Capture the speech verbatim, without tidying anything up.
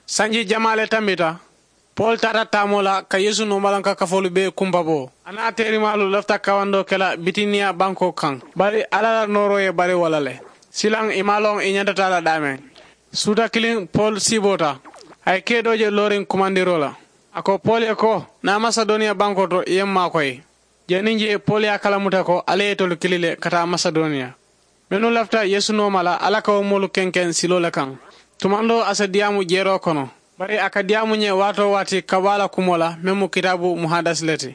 Sanji jamaa le tambita, pol taata taamoo la ka yeesu noomalanka kafoolu bee kumpa bo. A naa teerimaalu lafita kawandoo ke la bitiniya bankoo kaŋ, bari alla la nooroo ye bari wo la le. Silaŋ i maŋ a loŋ i ñanta taa la daameŋ. Suuta kiliŋ pol siiboota, a ye kee doo je looriŋ kumandiroo la. A ko pol ye ko, naa masedoniya bankoo to i ye m maakoyi. Janniŋ jee pol ye a kalamuta ko alla ye itolu kili le ka taa masedoniya. Mennu lafita yeesu nooma la alla ka wo moolu kenkeŋ siloo le kaŋ. Tumandoo a si diyaamu jeeroo kono, bari a ka diyaamu ñe waatoo waati ka baa la kumoo la meŋ mu kitaabu muhadasi le ti.